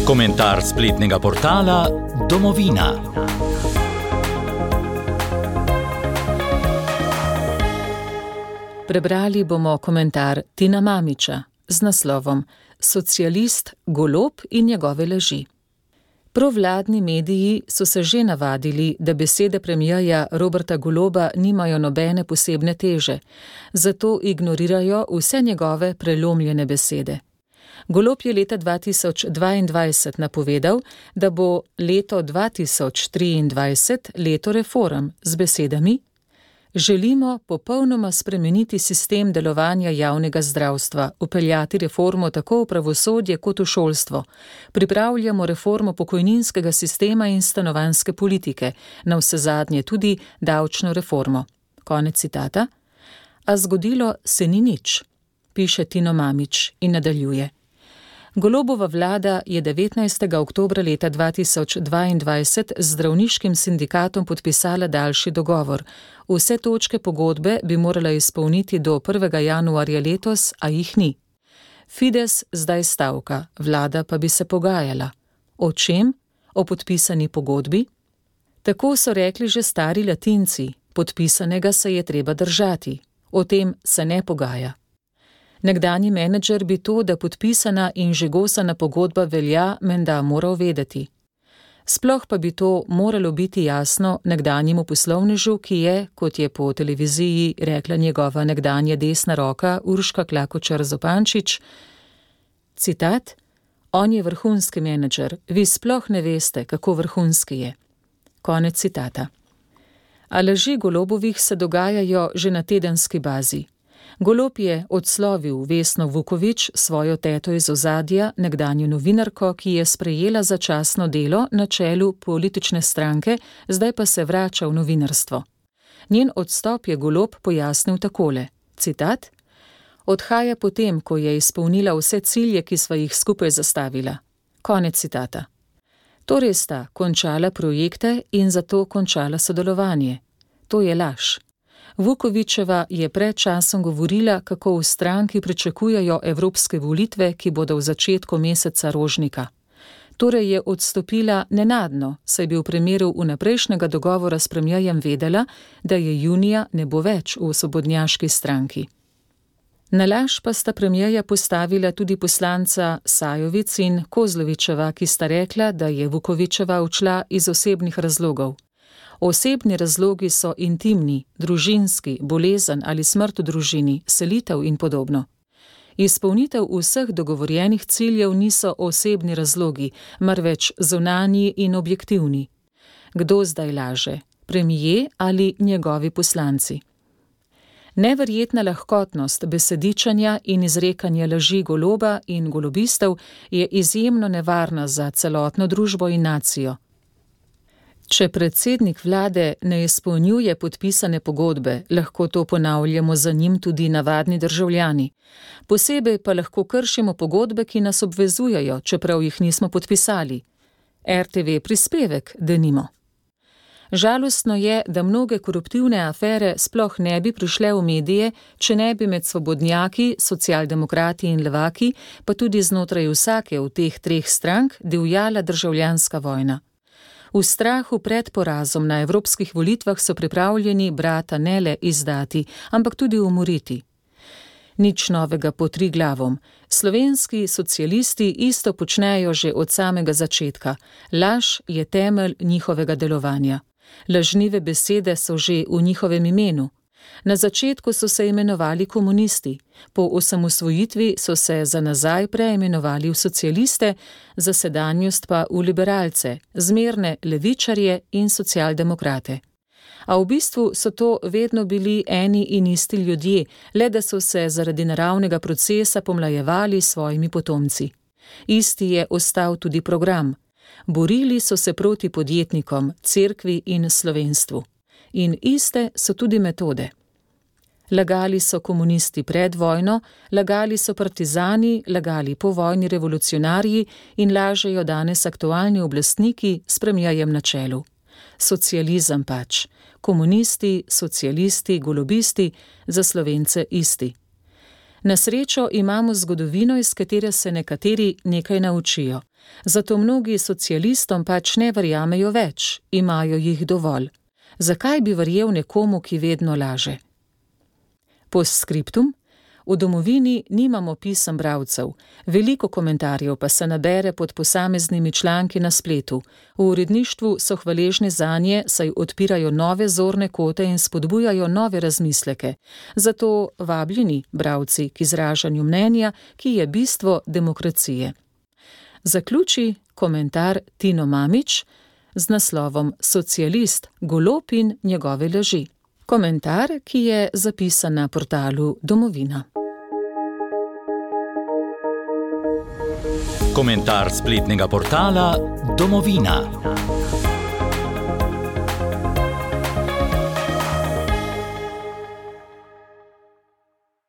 Komentar spletnega portala Domovina. Prebrali bomo komentar Tina Mamića z naslovom Socialist, Golob in njegove laži. Provladni mediji so se že navadili, da besede premierja Roberta Goloba nimajo nobene posebne teže, zato ignorirajo vse njegove prelomljene besede. Golob je leta 2022 napovedal, da bo leto 2023 leto reform z besedami: želimo popolnoma spremeniti sistem delovanja javnega zdravstva, vpeljati reformo tako v pravosodje kot v šolstvo. Pripravljamo reformo pokojninskega sistema in stanovanjske politike, navsezadnje tudi davčno reformo. Konec citata. A zgodilo se ni nič, piše Tino Mamić in nadaljuje. Golobova vlada je 19. oktobra leta 2022 z zdravniškim sindikatom podpisala daljši dogovor. Vse točke pogodbe bi morala izpolniti do 1. januarja letos, a jih ni. Fides zdaj stavka, vlada pa bi se pogajala. O čem? O podpisani pogodbi? Tako so rekli že stari Latinci, podpisanega se je treba držati. O tem se ne pogaja. Nekdanji menedžer bi to, da podpisana in žigosana pogodba velja, menda moral vedeti. Sploh pa bi to moralo biti jasno nekdanjemu poslovnežu, ki je, kot je po televiziji rekla njegova nekdanja desna roka Urška Klakočar Zupančič, citat, on je vrhunski menedžer, vi sploh ne veste, kako vrhunski je. Konec citata. A laži Golobovih se dogajajo že na tedenski bazi. Golob je odslovil Vesno Vuković, svojo teto iz ozadja, nekdanjo novinarko, ki je sprejela začasno delo na čelu politične stranke, zdaj pa se vrača v novinarstvo. Njen odstop je Golob pojasnil takole, citat, odhaja potem, ko je izpolnila vse cilje, ki sva jih skupaj zastavila. Konec citata. Torej sta končala projekte in zato končala sodelovanje. To je laž. Vukovićeva je pred časom govorila, kako v stranki pričakujejo evropske volitve, ki bodo v začetku meseca Rožnika. Torej je odstopila nenadno, saj bi v primeru vnaprejšnjega dogovora s premierjem vedela, da je junija ne bo več v svobodnjaški stranki. Na laž pa sta premierja postavila tudi poslanca Sajovic in Kozlovičeva, ki sta rekla, da je Vukovićeva odšla iz osebnih razlogov. Osebni razlogi so intimni, družinski, bolezen ali smrt v družini, selitev in podobno. Izpolnitev vseh dogovorjenih ciljev niso osebni razlogi, marveč zunanji in objektivni. Kdo zdaj laže? Premijer ali njegovi poslanci? Neverjetna lahkotnost besedičanja in izrekanja laži Goloba in golobistov je izjemno nevarna za celotno družbo in nacijo. Če predsednik vlade ne izpolnjuje podpisane pogodbe, lahko to ponavljamo za njim tudi navadni državljani. Posebej pa lahko kršimo pogodbe, ki nas obvezujejo, čeprav jih nismo podpisali. RTV prispevek, denimo. Žalostno je, da mnoge koruptivne afere sploh ne bi prišle v medije, če ne bi med svobodnjaki, socialdemokrati in levaki, pa tudi znotraj vsake od teh treh strank divjala državljanska vojna. V strahu pred porazom na evropskih volitvah so pripravljeni brata ne le izdati, ampak tudi umoriti. Nič novega pod Triglavom. Slovenski socialisti isto počnejo že od samega začetka. Laž je temelj njihovega delovanja. Lažnive besede so že v njihovem imenu. Na začetku so se imenovali komunisti, po osamosvojitvi so se za nazaj preimenovali v socialiste, za sedanjost pa v liberalce, zmerne levičarje in socialdemokrate. A v bistvu so to vedno bili eni in isti ljudje, le da so se zaradi naravnega procesa pomlajevali s svojimi potomci. Isti je ostal tudi program. Borili so se proti podjetnikom, cerkvi in slovenstvu. In iste so tudi metode. Lagali so komunisti pred vojno, lagali so partizani, lagali povojni revolucionarji in lažejo danes aktualni oblastniki s premierjem na čelu. Socializem pač. Komunisti, socialisti, golobisti, za Slovence isti. Na srečo imamo zgodovino, iz katere se nekateri nekaj naučijo. Zato mnogi socialistom pač ne verjamejo več, imajo jih dovolj. Zakaj bi verjel nekomu, ki vedno laže? Postskriptum: v Domovini nimamo pisem bralcev, veliko komentarjev pa se nabere pod posameznimi članki na spletu. V uredništvu so hvaležni zanje, saj odpirajo nove zorne kote in spodbujajo nove razmisleke. Zato vabljeni bralci k izražanju mnenja, ki je bistvo demokracije. Zaključi komentar Tino Mamić z naslovom Socialist, Golob in njegove laži. Komentar, ki je zapisan na portalu Domovina. Komentar spletnega portala Domovina.